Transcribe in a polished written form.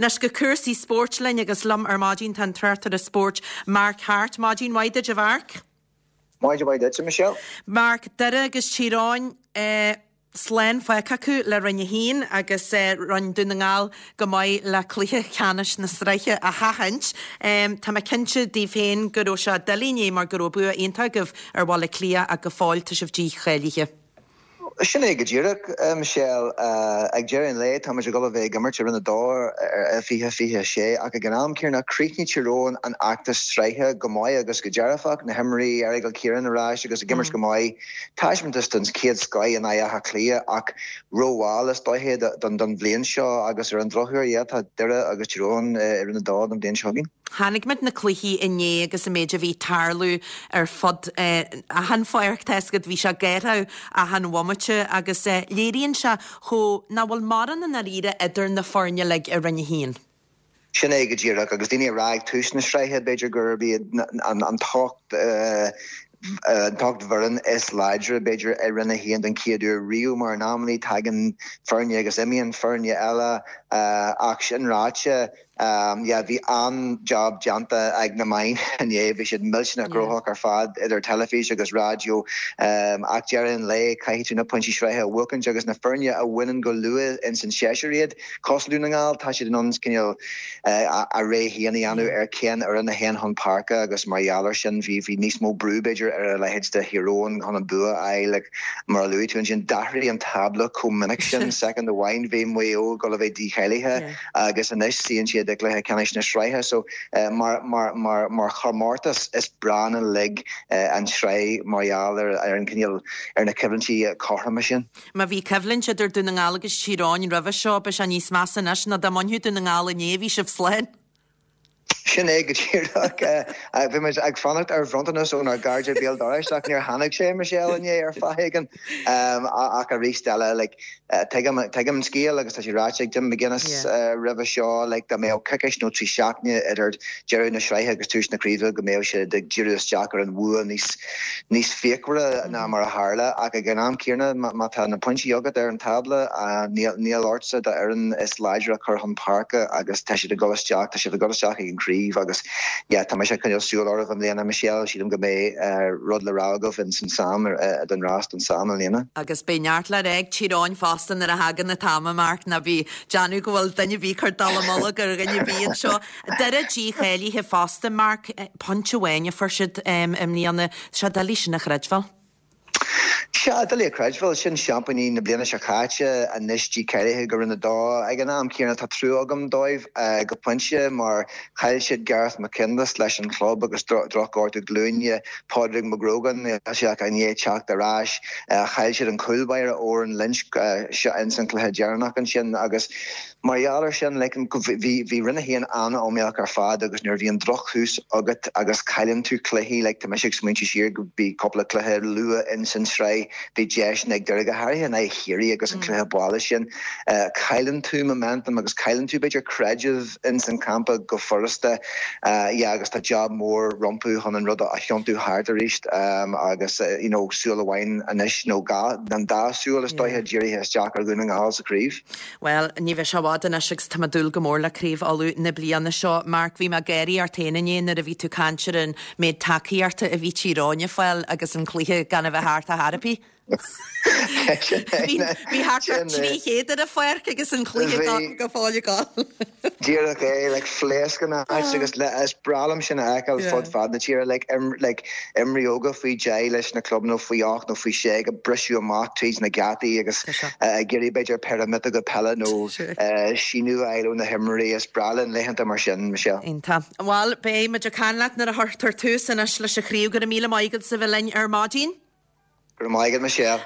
Anois go cúrsaí spóirt linn agus liom ar maidin tá an tráchtaire spóirt Mark Harte. Maidin mhaith duit a Mhark. Maidin mhaith duitse, Michelle. Mark, Doire agus Tír Eoghain slán fágtha acu le Roinn 1 agus rinne Dún na nGall go maith le cluiche ceannais na sraithe a sheachaint. Tá mé cinnte daoibh féin go raibh sé doiligh inné mar go raibh bua iontach agaibh ar Bhaile Átha Cliath ach go fóill tá sibh dícháilithe. Sin é go díreach, Michelle. Ag deireadh an lae, táimid ag dul a bheith ag imirt i Roinn 2 i 2026, ach ag an am céanna, chríochnaigh Tír Eoghain an fheachtas sraithe go maith agus go dearfach, na himreoirí, Errigal Ciarán ar ais agus ag imirt go maith, taispeántas den chéad scoith in aghaidh Átha Cliath ach rómhall is dóiche don bhliain seo agus ar an drochuair, yeah, tá Doire agus Tír Eoghain i Roinn 2 don bhliain seo chugainn. Chonaic muid na cluichí inné agus an méid a bhí ag tarlú ar fud achan pháirc, tá a fhios agat, bhí sé ag gáireadh achan bhomaite agus léiríonn sé chomh nach bhfuil mórán i ndáiríre idir na foirne uilig i Roinn 1. Sin é go díreach, agus daoine ag rá ag tús na sraithe, b'fhéidir gurb iad an t-ocht an t-ocht bhfoireann is láidre, b'fhéidir, i Roinn 1 don chéad uair riamh, mar in amannaí tagann foirne agus imíonn foirne eile, ach sin ráite, Yeah, bhí an-job déanta ag na meáin inné, bhí siad millteanach gnóthach ar fad idir teilifís agus raidió. Ach deireadh an lae, caithfidh tú na pointí sraithe a bhuachaint agus na foirne a bhaineann go luath ins an séasúr iad, cosúil Dún na nGall, tá siad in ann cineál a rogha féin a dhéanamh ar cén fhoireann a théann chun páirce agus mar gheall air sin bhí bhí níos mó brú b'fhéidir ar a leithéid de Thír Eoghain chun an bua a fháil. Like, mar a luaigh tú ansin, d'athraigh an tábla chomh minic sin, soicind amháin bhí Maigh Eo ag dul a bheith dícháilithe. agus anois suíonn siad i gcluiche ceannais na sraithe. So mar mar mar mar chomórtas is breá linn uilig an tsraith mar gheall ar ar an cineál ar na coimhlintí cothroma sin. Má bhí coimhlint idir Dún na nGall agus Tír Eoghain roimhe seo, beidh sé níos measa anois nó dá mbainfeadh Dún na nGall inné, bhí sibh slán. Sin é go díreach. Bhí muid ag fanacht ar bhronntanas ónár gcairde béal dorais ach níor tháinig sé, Michelle, inné ar fáth éigin. Ach arís eile, like, tuigim, tuigim an scéal agus tá sé ráite ag Jim McGuinness roimhe seo, like, dá mbeadh coicís nó 3 seachtaine idir deireadh na sraithe agus tús na craoibhe go mbeadh siad ag díriú isteach ar an bhua níos, níos fíochmhaire ná mar a tharla. Ach ag an am céanna, má tá na pointí agat ar an tábla, níl ortsa d'fhoireann is láidre a chur chun páirce agus tá siad ag dul isteach, tá sibh ag dul isteach ag an chraobh agus yeah, tá mise ag coinneáil súil oraibh i mbliana, Michelle. Sílim go mbeidh rud le rá agaibh in san Sam, don rás don Sam i mbliana. Agus beidh neart le rá ag Tír Eoghain fosta nuair a thagann an t-am, a Mark, ná bí ag déanamh go bhfuil duine ar bith ag cur dallamullóg ar dhuine ar bith anseo. Doire dícháilithe fosta, Mark. Pointe amháin a fuair siad i mbliana. Tá sé doiligh sin a chreidbheáil. Sea, doiligh a chreidbheáil. Sin seaimpíní na bliana seo caite, anois dícháilithe go Roinn 2. Ag an am céanna, tá trua agam dóibh go pointe mar chaill siad Gareth McKinless leis an chlub agus drochghortú glúine. Pádraig McGrogan, níl sé ach i ndiaidh teacht ar ais. Chaill siad an cúl báire Odhrán Lynch ins an chluiche deireanach ansin agus Mar gheall ar sin, like, bhí, bhí Roinn 1 an-iomaíoch ar fad agus nuair a bhíonn drochthús agat agus cailleann tú cluichí, like, tá mise ag smaointiú siar go, bhí cúpla cluiche luath ins an tsraith, bhí deiseanna ag Doire, go háirithe in aghaidh Chiarraí agus an cluiche baile sin, cailleann tú momentum agus cailleann tú b'fhéidir creideamh ins an champa go furasta, yeah, agus tá job mór rompu chun an rud a thiontú thart arís agus, you know, súil amháin anois nó dhá, an dá súil is dóiche dírithe isteach ar Dhún na nGall sa chraobh. Bhuel, ní bheidh sé i bhfad anois agus tá mé ag dúil go mór le Craobh Uladh na bliana seo. Mark, bhí mé ag gáirí ort féin inné nuair a bhí tú ag caint ar an méid tacaíochta a bhí Tír Eoghain ag fáil agus an cluiche gan a bheith thart ar chor ar bith. Bhí bhí thart ar 300 ar an pháirc agus an cluiche go fóill ag dul. Díreach é, like, phléasc an áit agus is breá liom sin a fheiceáil fud fad na tíre, like, like, imreoirí óga faoi 10 leis na clubanna faoi 8 nó faoi 6 ag briseadh amach tríd na geataí agus ag iarraidh b'fhéidir péire miotóga peile nó síniú a fháil ó na himreoirí. Is breá linn laethanta mar sin, Michelle. Iontach. Bhuel, beidh muid ag caint leat nuair a chuirtear tús anois leis an chraobh. Go raibh míle maith agat as a bheith linn ar maidin. Go raibh maith agat, Michelle.